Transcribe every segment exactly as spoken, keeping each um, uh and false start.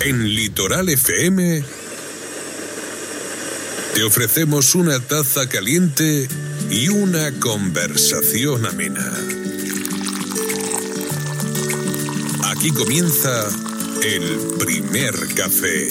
En Litoral F M te ofrecemos una taza caliente y una conversación amena. Aquí comienza el primer café.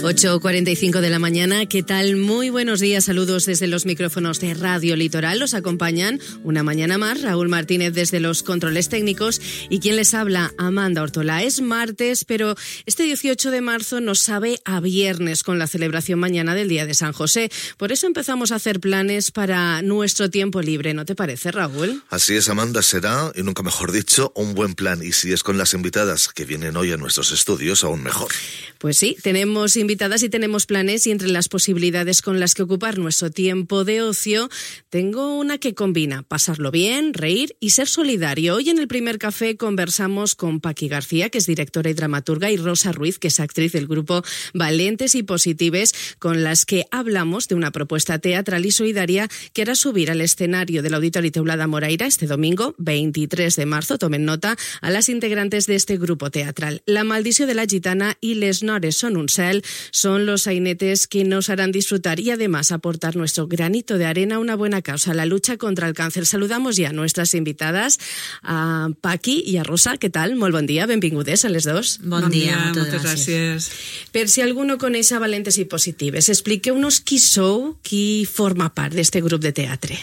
ocho cuarenta y cinco de la mañana, ¿qué tal? Muy buenos días, saludos desde los micrófonos de Radio Litoral. Los acompañan una mañana más Raúl Martínez desde los controles técnicos y quien les habla, Amanda Ortola. Es martes, pero este dieciocho de marzo nos sabe a viernes con la celebración mañana del Día de San José. Por eso empezamos a hacer planes para nuestro tiempo libre, ¿no te parece, Raúl? Así es, Amanda, será, y nunca mejor dicho, un buen plan. Y si es con las invitadas que vienen hoy a nuestros estudios, aún mejor. Pues sí, tenemos invitadas y tenemos planes, y entre las posibilidades con las que ocupar nuestro tiempo de ocio, tengo una que combina pasarlo bien, reír y ser solidario. Hoy en el primer café conversamos con Paqui García, que es directora y dramaturga, y Rosa Ruiz, que es actriz del grupo Valentes y Positives, con las que hablamos de una propuesta teatral y solidaria que hará subir al escenario del Auditori Teulada Moraira este domingo veintitrés de marzo, tomen nota, a las integrantes de este grupo teatral. La maldició de la gitana y Les Nores son un cel son los sainetes que nos harán disfrutar y además aportar nuestro granito de arena a una buena causa, la lucha contra el cáncer. Saludamos ya a nuestras invitades, a Paqui i a Rosa. Què tal? Molt bon dia, benvingudes a les dos. Bon, bon dia, dia, moltes gràcies. gràcies. Per si algú no coneix Valentes i Positives, expliqueu-nos qui sou, qui forma part d'este grup de teatre.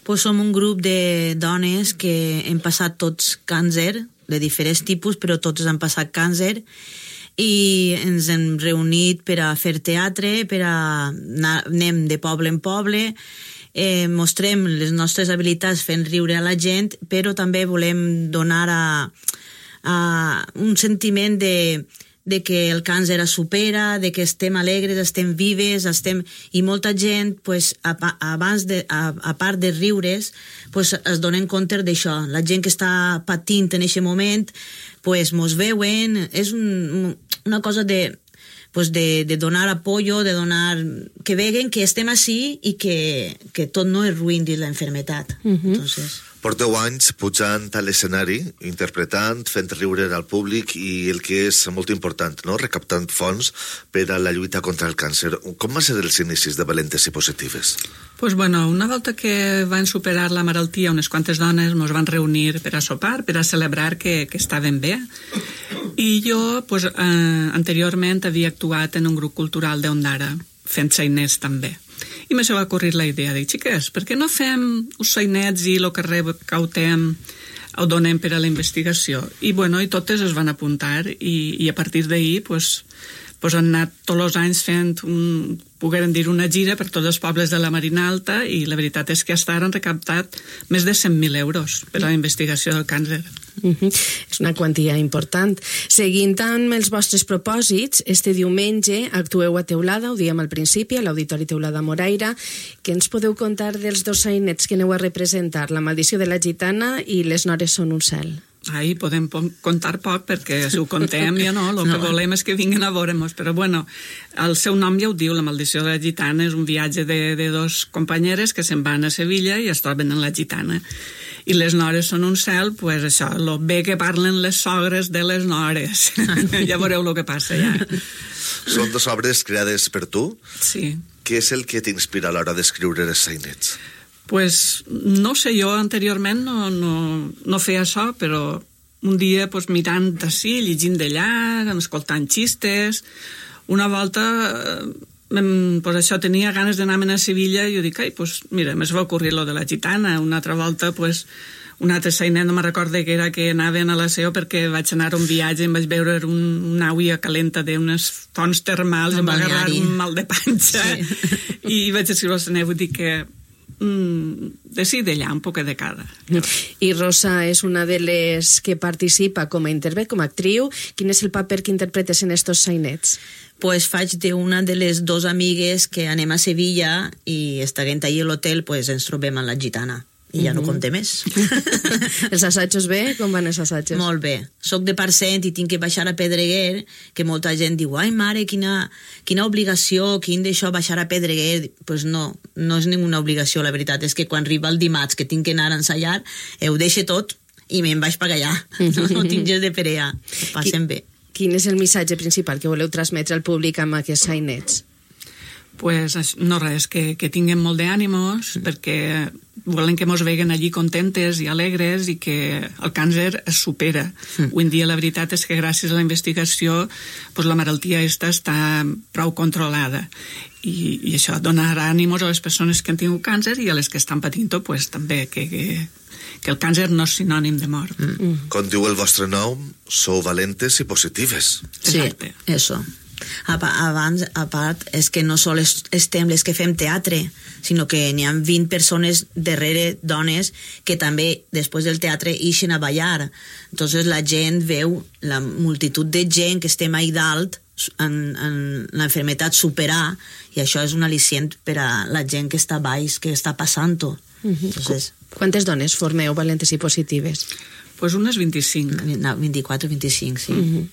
Pues som un grup de dones que hem passat tots càncer, de diferents tipus, però tots han passat càncer, i ens hem reunit per a fer teatre, per a anar, anem de poble en poble, eh, mostrem les nostres habilitats fent riure a la gent, però també volem donar a, a un sentiment de, de que el càncer es supera, de que estem alegres, estem vives, estem... i molta gent, pues, a, abans de, a, a part de riures, pues, es donen compte d'això. La gent que està patint en aquest moment, pues, mos veuen, és un, una cosa de, pues, de, de donar apoyo, de donar... que veguen que estem així i que, que tot no és ruïn dins la enfermetat. Uh-huh. Entonces... Porteu anys pujant a l'escenari, interpretant, fent riure al públic i el que és molt important, no? Recaptant fons per a la lluita contra el càncer. Com van ser els inicis de Valentes i Positives? Pues bueno, una volta que van superar la malaltia, unes quantes dones ens van reunir per a sopar, per a celebrar que, que estaven bé. I jo, pues, eh, anteriorment havia actuat en un grup cultural d'Ondara, fent sainers també. I me se va ocorrir la idea, dic, xiques, per què no fem uns sainets i el que recautem ho donem per a la investigació? I bueno, i totes es van apuntar i, i a partir d'ahir pues, pues han anat tots els anys fent un, pogueren dir una gira per tots els pobles de la Marina Alta, i la veritat és que fins ara han recaptat més de cent mil euros per a la investigació del càncer. Uh-huh. És una quantia important. Seguint amb els vostres propòsits, este diumenge actueu a Teulada, ho diem al principi, a l'Auditori Teulada Moraira. Què ens podeu contar dels dos sainets que aneu a representar, La maldició de la gitana i Les Nores són un cel? Ahí podem contar poc, perquè si ho contem ja no, el que no. volem és que vinguin a veure-nos, però bueno, el seu nom ja ho diu, La maldició de la gitana, és un viatge de, de dos companyeres que se'n van a Sevilla i es troben en la gitana. I Les Nores són un cel, pues això, lo bé que parlen les sogres de les nores. Ja veureu el que passa, ja. Són dues obres creades per tu? Sí. Què és el que t'inspira a l'hora d'escriure els sainets? Pues no sé, jo anteriorment no, no, no feia això, però un dia pues, mirant d'ací, llegint d'allà, escoltant xistes, una volta... pues això, tenia ganes d'anar-me'n a Sevilla i jo dic, ai, pues mira, m'es va ocorrir lo de la gitana. Una altra volta, pues, un altre sainet, no me'n recordo que era que anaven a la S E O perquè vaig anar a un viatge i em vaig veure un, una aigua calenta d'unes fonts termals, em va agarrar un mal de panxa, sí. I vaig escriure al Seneu i dic que mm, de sí d'allà, un poc de cada. I Rosa és una de les que participa com a interpret, com a actriu. Quin és el paper que interpretes en estos sainets? Pues faig d'una de les dues amigues que anem a Sevilla i estiguent allà a l'hotel pues ens trobem amb la gitana. I ja uh-huh. no conté més. Els assajos bé? Com van els assajos? Molt bé. Soc de Parcent i tinc que baixar a Pedreguer, que molta gent diu, ai mare, quina, quina obligació, quin d'això baixar a Pedreguer. Doncs pues no, no és ninguna obligació, la veritat és que quan arriba el dimarts que tinc que anar a ensaiar, ho deixo tot i me'n vaig per allà. No, no tinc gens de perea. Ho passen bé. Quin és el missatge principal que voleu transmetre al públic amb aquests sainets? Pues no res, que, que tinguem molt d'ànimos, mm. perquè volen que mos veguen allí contentes i alegres i que el càncer es supera. Mm. Avui en dia la veritat és que gràcies a la investigació pues, la malaltia esta està prou controlada i, i això donarà ànimos a les persones que han tingut càncer i a les que estan patint-ho pues, també, que, que, que el càncer no és sinònim de mort. Mm. Mm. Com diu el vostre nom, sou valentes i positives. Exacte. Sí, eso. Abans, a part, és que no sols estem les que fem teatre, sinó que n'hi ha vint persones darrere, dones, que també, després del teatre, ixen a ballar. Entonces la gent veu la multitud de gent que estem ahí dalt en, en l'enfermetat superar, i això és un al·licient per a la gent que està baix, que està passant-ho. Uh-huh. Entonces, quantes dones formeu valentes i positives? Pues unes vint-i-cinc. No, vint-i-quatre, vint-i-cinc, sí. Uh-huh.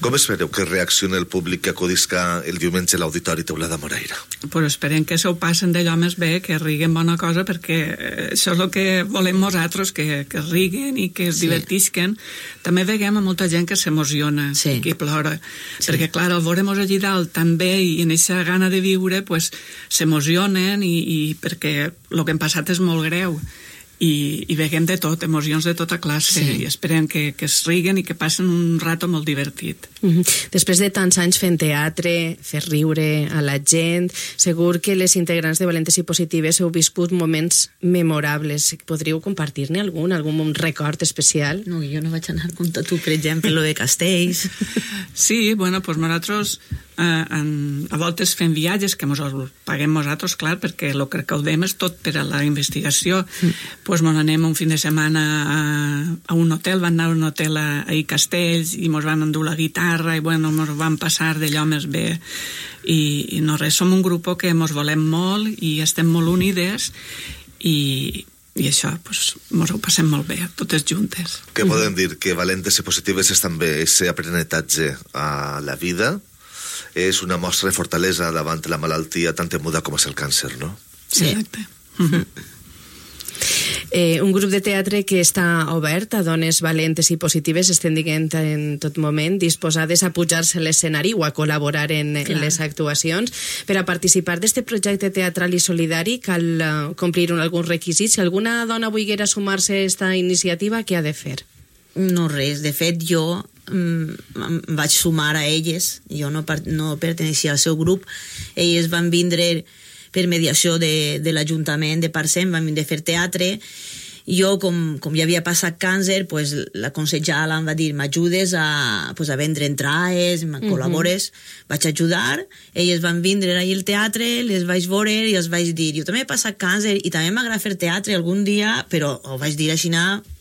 Com espereu que reaccioni el públic que acudisca el diumenge a l'Auditori Teulada Moreira? Pues esperem que s'ho passen d'allò més bé, que riguen bona cosa, perquè això és el que volem nosaltres, que, que riguen i que es sí. divertisquen. També veiem a molta gent que s'emociona, sí. que plora, sí. perquè clar, al veure-mos allí dalt també i en aquesta gana de viure, pues s'emocionen i, i perquè el que hem passat és molt greu. I, i veiem de tot, emocions de tota classe, sí. i esperem que, que es riguen i que passen un rato molt divertit. Mm-hmm. Després de tants anys fent teatre, fer riure a la gent, segur que les integrants de Valentes i Positives heu viscut moments memorables. Podríeu compartir-ne algun, algun record especial? No, jo no vaig anar com tu, per exemple, lo de Castells. Sí, bueno, doncs nosaltres eh, en, a voltes fem viatges que mos els paguem nosaltres, clar, perquè el que recaudem és tot per a la investigació. Mm. Pues mos anem un fin de setmana a, a un hotel, van anar a un hotel a, a Castells i mos van endur la guitarra i bueno, mos van passar d'allò més bé i, i no res, som un grup que mos volem molt i estem molt unides i, i això, pues, mos ho passem molt bé, totes juntes. Què podem dir? Que Valentes i Positives és també aquest aprenentatge a la vida, és una mostra de fortalesa davant la malaltia tan temuda com és el càncer, no? Sí. Exacte. Mm-hmm. Eh, un grup de teatre que està obert a dones valentes i positives, estem dient en tot moment, disposades a pujar-se a l'escenari o a col·laborar en, en les actuacions. Per a participar d'aquest projecte teatral i solidari cal uh, complir un, algun requisit. Si alguna dona volguera sumar-se a aquesta iniciativa, què ha de fer? No res, de fet jo mm, em vaig sumar a elles, jo no, no perteneixia al seu grup, elles van vindre per mediació de, de l'Ajuntament de Parcent, vam vindre a fer teatre. Jo, com, com ja havia passat càncer, pues, la consellera em va dir, m'ajudes a, pues, a vendre entrades, me col·labores, uh-huh. vaig ajudar, elles van vindre allà al teatre, les vaig veure i els vaig dir, jo també he passat càncer i també m'agrada fer teatre algun dia, però ho vaig dir així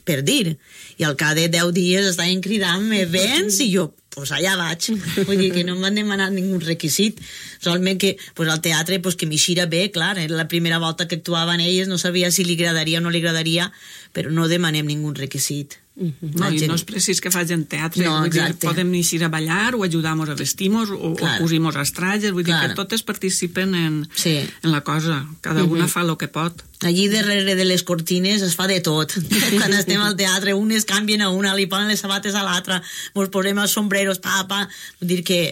per dir, i al cap de deu dies estaven cridant-me, vens? I jo, pues allà vaig. Vull dir que no em van demanar ningú requisit. Solament que pues, al teatre pues, que m'eixira bé, clar, era la primera volta que actuaven elles, no sabia si li agradaria o no li agradaria, però no demanem ningú requisit. Uh-huh. No, i no és precís que facin teatre, no, vull dir, podem eixir a ballar o ajudar-nos a vestir-nos o, o cosir-nos els trajes, vull clar. dir que totes participen en, sí. en la cosa, cada uh-huh. una fa el que pot. Allí darrere de les cortines es fa de tot. Quan estem al teatre, unes canvien a una, li ponen les sabates a l'altra, ens posem els sombreros, pa, pa. Vull dir que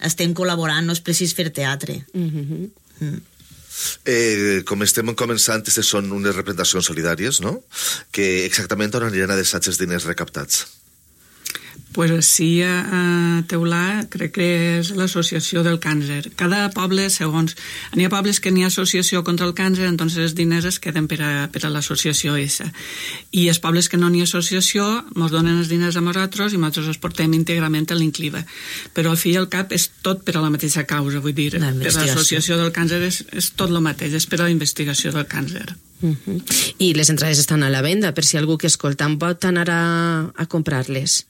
estem col·laborant, no és precís fer teatre. Uh-huh. Mm. Eh, com estem començant, aquestes són unes representacions solidàries, no? Que exactament on aniran a deixar els diners recaptats? Pues sí, a Teulà crec que és l'associació del càncer. Cada poble, segons... N'hi ha pobles que n'hi ha associació contra el càncer, doncs els diners es queden per a, per a l'associació essa. I els pobles que no n'hi ha associació ens donen els diners a nosaltres i nosaltres els portem íntegrament a l'Incliva. Però al fi i al cap és tot per a la mateixa causa, vull dir, la per l'associació del càncer és, és tot el mateix, és per a la investigació del càncer. Uh-huh. I les entrades estan a la venda, per si algú que escolta en pot anar a, a comprar-les.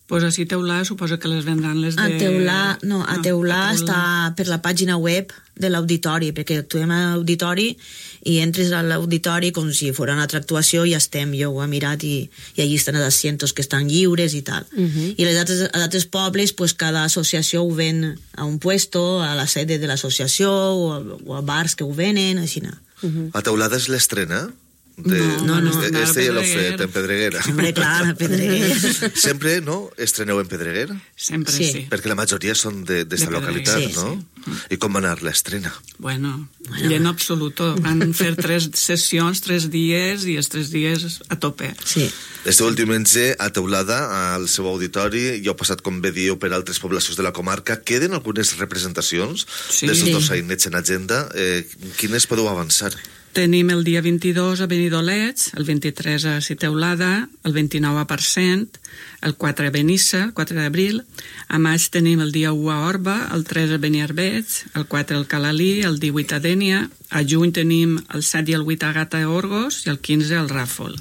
Pues així Teulà suposo que les vendran les de... A Teulà, no, a Teulà no, està per la pàgina web de l'auditori, perquè actuem a l'auditori i entres a l'auditori com si fos una altra actuació i ja estem, jo ho he mirat i, i allí estan els asientos que estan lliures i tal. Uh-huh. I als altres, als altres pobles, pues, cada associació ho ven a un puesto, a la sede de l'associació o, a, o a bars que ho venen, així. Uh-huh. A Teulada és l'estrena? De, No, no, este, no, este ja l'heu Pedreguer. fet en Pedreguera. Hombre, clar, a Pedreguer. Sempre, no? Estreneu en Pedreguera? Sempre Sí. sí. Perquè la majoria són de- d'esta De localitat, Pedreguer, no? sí. I com va anar l'estrena? Bueno, lleno absoluto. Van fer tres sessions, tres dies, i els tres dies a tope. Sí. Este últim diumenge, a Teulada, al seu auditori, ja heu passat, com bé dieu, per altres poblacions de la comarca. Queden algunes representacions Sí. d'aquests Sí. dos sainets en agenda. Eh, quines podeu avançar? Tenim el dia vint-i-dos a Benidolets, el vint-i-tres a Citeulada, el vint-i-nou a Parcent, el quatre a Benissa, el quatre d'abril. A maig tenim el dia u a Orba, el tres a Beniarbeig, el quatre al Calalí, el divuit a Dénia. A juny tenim el set i el vuit a Gata a Orgos i el quinze al Ràfol.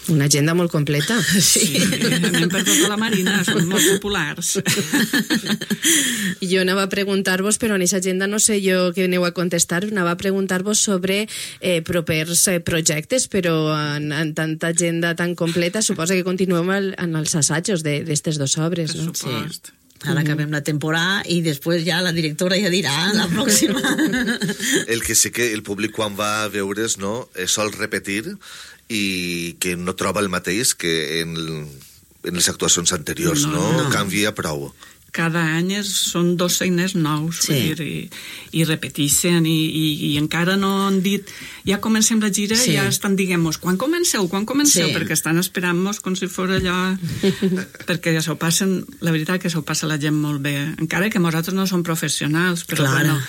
Una agenda molt completa. Sí, anem per tota la Marina, són molt populars. Jo anava a preguntar-vos, però en aquesta agenda no sé jo què aneu a contestar, anava a preguntar-vos sobre eh, propers eh, projectes, però en, en tanta agenda tan completa suposa que continuem el, en els assajos d'aquestes dues obres, Per no? supost. Ara acabem la temporada i després ja la directora ja dirà la pròxima. El que sí que el públic quan va a veure's, no, eh, sol repetir i que no troba el mateix que en, en les actuacions anteriors, no? No, no? no. Canvia prou. Cada any és, són dos seiners nous, Sí. vull dir, i, i repeteixen, i, i, i encara no han dit, ja comencem la gira, Sí. sí. ja estan diguem-nos, quan comenceu, quan comenceu, Sí. perquè estan esperant-nos com si fos allò, perquè ja s'ho passen, la veritat que s'ho passa la gent molt bé, encara que nosaltres no som professionals, però Clar. bueno,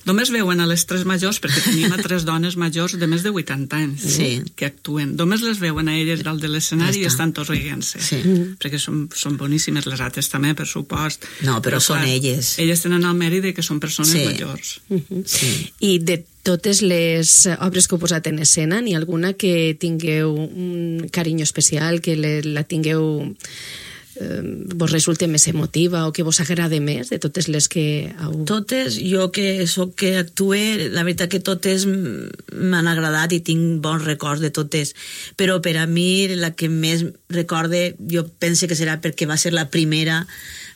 només veuen a les tres majors, perquè tenim a tres dones majors de més de vuitanta anys Sí. que actuen, només les veuen a elles dalt de l'escenari Ja i està. estan tots rient-se, Sí. perquè són, són boníssimes, les altres també, per supost. No, però són elles. Elles tenen el mèrit de que són persones Sí. majors. Sí. I de totes les obres que heu posat en escena, n'hi ha alguna que tingueu un carinyo especial, que le, la tingueu eh, vos resulte més emotiva o que vos agrade més de totes les que heu... Totes, jo que soc que actue, la veritat que totes m- m'han agradat i tinc bons records de totes, però per a mi la que més recorde, jo penso que serà perquè va ser la primera,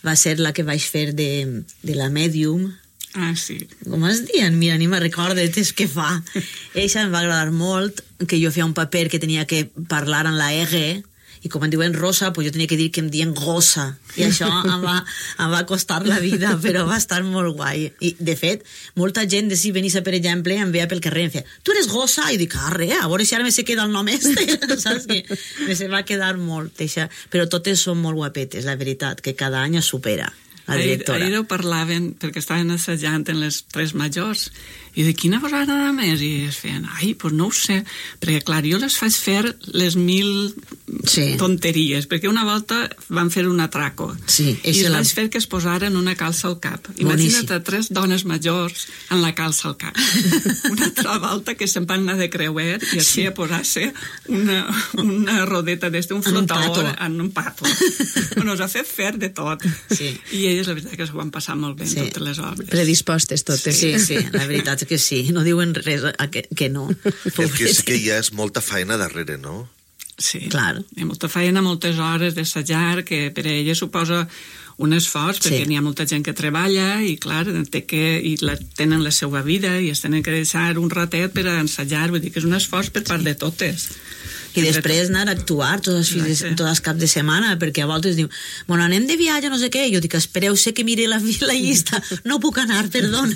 va ser la que vaig fer de, de la Medium. Ah, sí. Com es diuen? Mira, ni me recordo és que fa. Eixa em va agradar molt, que jo feia un paper que tenia que parlar en la R, i com em diuen rosa, pues jo tenia que dir que em diuen gossa, i això em va, em va costar la vida, però va estar molt guai. I, de fet, molta gent de si Benissa, per exemple, em veia pel carrer i em feia, tu eres gossa? I dic, ah, res, a veure si ara me se queda el nom este, saps? Que me se va quedar molt, eixa. Però totes són molt guapetes, la veritat, que cada any es supera. La Ahir, directora. ahir ho parlaven, perquè estaven assajant en les tres majors, i de quina vos agrada més? I es feien, ai, doncs no ho sé, perquè clar, jo les faig fer les mil Sí. tonteries, perquè una volta van fer un atraco, Sí, i eixa es la- vaig fer que es posaren una calça al cap. Boníssim. Imagina't a tres dones majors amb la calça al cap. Una altra volta que se'n van anar de creuer i es feia posar-se una, una rodeta d'este, un En un flotador pato. en un pato. Bueno, us ha fet fer de tot. Sí. I elles, la veritat, que s'ho van passar molt bé en Sí. totes les obres. Predispostes totes. Sí, sí, la veritat és que sí, no diuen res a que, que no. El que és que ja és molta feina darrere, no? Sí, Clar. hi ha molta feina, moltes hores d'assajar, que per a ella suposa un esforç, perquè Sí. n'hi ha molta gent que treballa i, clar, té que, i la, tenen la seva vida i es tenen que deixar un ratet per a ensajar, vull dir que és un esforç per part de totes. I després anar a actuar tots els, fins, Exacte. tots els caps de setmana, perquè a voltes diu, bueno, anem de viatge, no sé què, i jo dic, espereu, sé que mire la, la llista, no puc anar, perdona.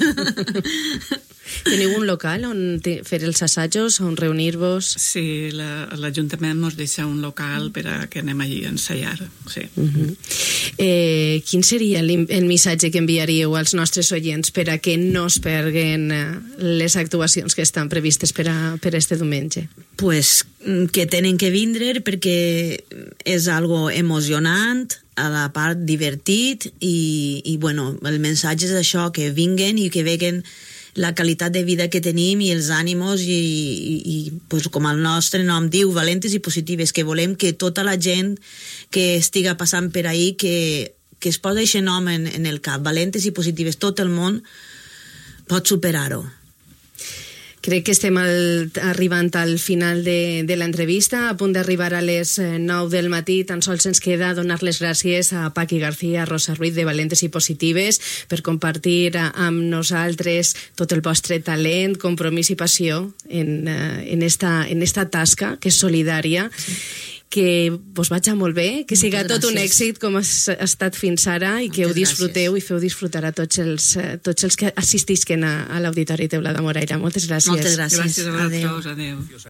Teniu un local on te- fer els assajos, on reunir-vos? Sí, la- l'Ajuntament ens deixa un local per a que anem allí a ensaiar, sí. Uh -huh. eh, quin seria el, el missatge que enviaríeu als nostres oients per a que no es perguen eh, les actuacions que estan previstes per a, per a este diumenge? Pues mm, que tenen que vindre perquè és algo emocionant, a la part divertit i, i bueno, el missatge és això, que vinguen i que veguen la qualitat de vida que tenim i els ànimos i, i, i pues, com el nostre nom diu, valentes i positives, que volem que tota la gent que estiga passant per ahí que, que es posa aquest nom en, en el cap, valentes i positives, tot el món pot superar-ho. Crec que estem al, arribant al final de, de l'entrevista, a punt d'arribar a les nou del matí. Tan sols ens queda donar les gràcies a Paqui García, a Rosa Ruiz de Valentes i Positives per compartir amb nosaltres tot el vostre talent, compromís i passió en, en, esta, en esta tasca que és solidària. Sí. Que vos vaig molt bé, que siga tot un èxit com ha estat fins ara i que ho disfruteu i feu disfrutar a tots els, tots els que assistisquen a, a l'Auditori Teulada Moraira. Moltes gràcies. Moltes gràcies. Gràcies a vosaltres. Adéu.